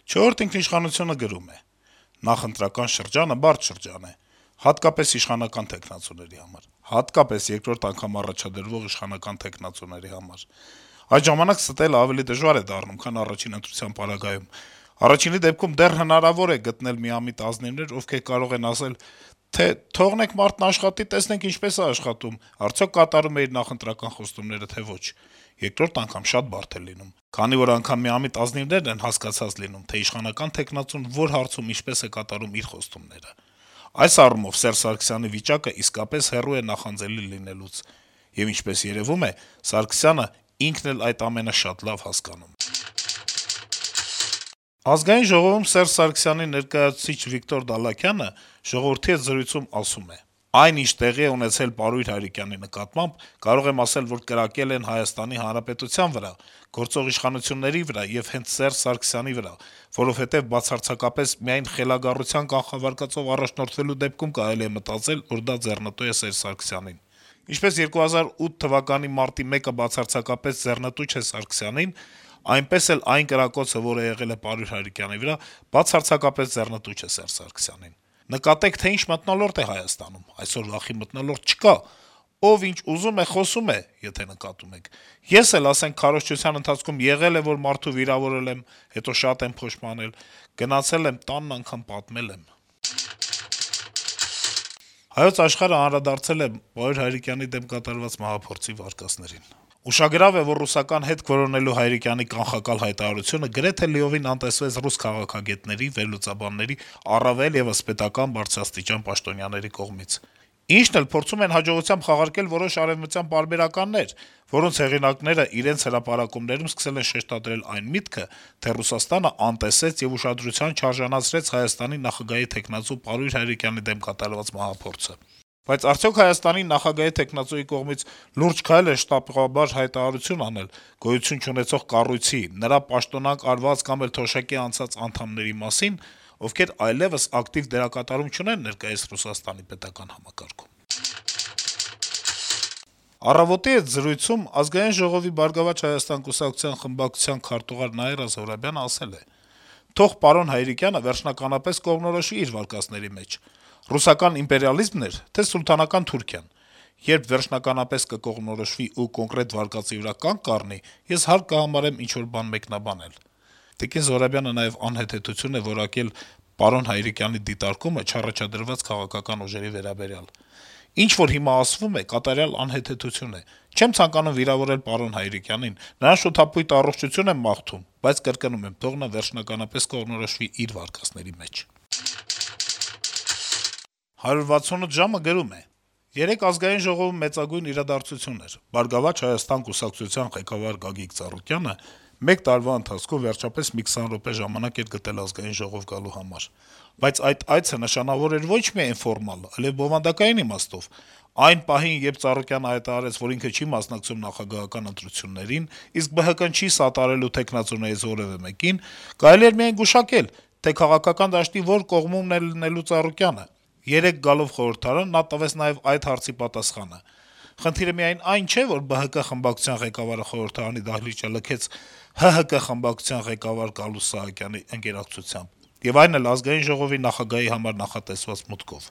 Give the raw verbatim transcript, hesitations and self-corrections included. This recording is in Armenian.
«Չորրորդ ինքնիշխանություն»-ը գրում է. - «Նախընտրական շրջանը բարդ շրջան է, հատկապես իշխանական թեկնածուների համար, հատկապես երկրորդ անգամ առաջադրվող իշխանական թեկնածուների համար: Այդ ժամանակ ստել ավելի դժվար է դառնում, քան առաջին ընտրության պարագայում: Առաջինի դեպքում դեռ հնարավոր է գտնել միամիտ ազնիվներ, ովքեր կարող են ասել, թե թողնենք մարդն աշխատի, տեսնենք ինչպես է աշխատում, արդյոք կատարում է իր նախընտրական խոստումները, թե ոչ: Երկրորդ անգամ շատ բարդ է լինում, քանի որ անգամ միամիտ ազնիվներն են հասկացած լինում, թե իշխանական թեկնածուն որ հարցում ինչպես է կատարում իր խոստումները: Այս առումով Սերժ Սարգսյանի վիճակը իսկապես հեռու է նախանձելի լինելուց, եւ ինչպես երեւում է, Սարգսյանը ինքն էլ այդ ամենը շատ լավ հասկանում է»: Ազգային ժողովում Սերժ Սարգսյանի ներկայացուցիչ Վիկտոր Դալաքյանը «Ժողովուրդ» հետ զրույցում ասում է. - «Այն, ինչ տեղի է ունեցել Պարույր Հայրիկյանի նկատմամբ, կարող եմ ասել, որ կրակել են Հայաստանի Հանրապետության վրա, գործող իշխանությունների վրա եւ հենց Սերժ Սարգսյանի վրա, որովհետեւ բացարձակապես միայն խելագարության կանխավարկածով առաջնորդվելու դեպքում կարելի է մտածել, որ դա ձեռնտու է Սերժ Սարգսյանին: Ինչպես երկու հազար ութ թվականի մարտի մեկը բացարձակապես ձեռնտու չէ Սարգսյանին, այնպես էլ այն կրակոցը, որը եղել է Պարույր Հայրիկյանի վրա, բացարձակապես ձեռնտու չէ Սերժ Սարգսյանին: Նկատեք, թե ինչ մթնոլորտ է Հայաստանում: Այսօր վախի մթնոլորտ չկա: Ով ինչ ուզում է, խոսում է, եթե նկատում եք: Ես էլ, ասենք, քարոզչության ընթացքում եղել է, որ մարդու վիրավորել եմ, հետո շատ եմ փոշմանել, գնացել եմ, տանն անգամ պատմել եմ»: «Հայոց Աշխարհ»-ը անդրադարձել է Պարույր Հայրիկյանի դեմ կատարված մահափորձի վարկածներին. - «Ուշագրավ է, որ ռուսական հետք որոնելու Հայրիկյանի կանխակալ հայտարարությունը գրեթե լիովին անտեսվեց ռուս քաղաքագետների, վերլուծաբանների, առավել եւս պետական բարձրաստիճան պաշտոնյաների կողմից: Ինչն էլ փորձում են հաջողությամբ խաղարկել որոշ արեւմտյան պարբերականներ, որոնց հեղինակներն իրենց հրապարակումներում սկսել են շեշտադրել այն միտքը, թե Ռուսաստանը անտեսեց եւ ուշադրության չարժանացրեց Հայաստանի նախագահի թեկնածու Պարույր Հայրիկյանի դեմ կատարված մահափորձը: Բայց արդյոք Հայաստանի նախագահի թեկնածուի կողմից լուրջ քայլ է շտապղաբար հայտարարություն անել գոյություն չունեցող կառույցի, նրա պաշտոնանկ արված կամ էլ թոշակի անցած անդամների մասին, ովքեր այլեւս ակտիվ դերակատարում չունեն ներկայիս Ռուսաստանի պետական համակարգում»: «Առավոտ»-ի հետ զրույցում Ազգային ժողովի «Բարգավաճ Հայաստան» կուսակցության խմբակցության քարտուղար Նաիրա Զոհրաբյանը ասել է. - «Թող պարոն Հայրիկյանը վերջնականապես կողմնորոշվի իր վարկածների մեջ` ռուսական իմպերիալիզմն էր, թե սուլթանական Թուրքիան: Երբ վերջնականապես կկողմնորոշվի ու կոնկրետ վարկածի վրա կանգ կառնի, ես հարկ կհամարեմ ինչ-որ բան մեկնաբանել»: Տիկին Զոհրաբյանը նաեւ անհեթեթություն է որակել պարոն Հայրիկյանի դիտարկումը չառաջադրված քաղաքական ուժերի վերաբերյալ. - «Ինչ որ հիմա ասվում է, կատարյալ անհեթեթություն է: Չեմ ցանկանում վիրավորել պարոն Հայրիկյանին, նրան շութափույթ առողջություն եմ մաղթում, բայց կրկնում եմ` թող նա վերջնականապես կողմնորոշվի իր վարկածների մեջ»: «հարյուր վաթսունութ ժամ»-ը գրում է. - «Երեկ Ազգային ժողովում մեծագույն իրադարձություն էր. «Բարգավաճ Հայաստան» կուսակցության ղեկավար Գագիկ Ծառուկյանը մեկ տարվա ընթացքում վերջապես մի քսան րոպե ժամանակ էր գտել Ազգային ժողով գալու համար: Բայց այդ այցը նշանավոր էր ոչ միայն ֆորմալ, այլեւ բովանդակային իմաստով: Այն պահին, երբ Ծառուկյանը հայտարարեց, որ ինքը չի մասնակցում նախագահական ընտրություններին, իսկ Բը Հը Կը-ն չի սատարելու թեկնածուներից որեւէ մեկին, կարելի էր միայն գուշակել, թե քաղաքական դաշտի որ կողմումն է լինելու Ծառուկյանը: Երեկ գալով խորհրդարան, նա տվեց նաեւ այդ հարցի պատասխանը: Խնդիրը միայն այն չէ, որ Բը Հը Կը խմբակցության ղեկավարը խորհրդարանի դահլիճը լքեց Հը Հը Կը խմբակցության ղեկավար Գալուստ Սահակյանի ընկերակցությամբ, եւ այն էլ Ազգային ժողովի նախագահի համար նախատեսված մուտքով»: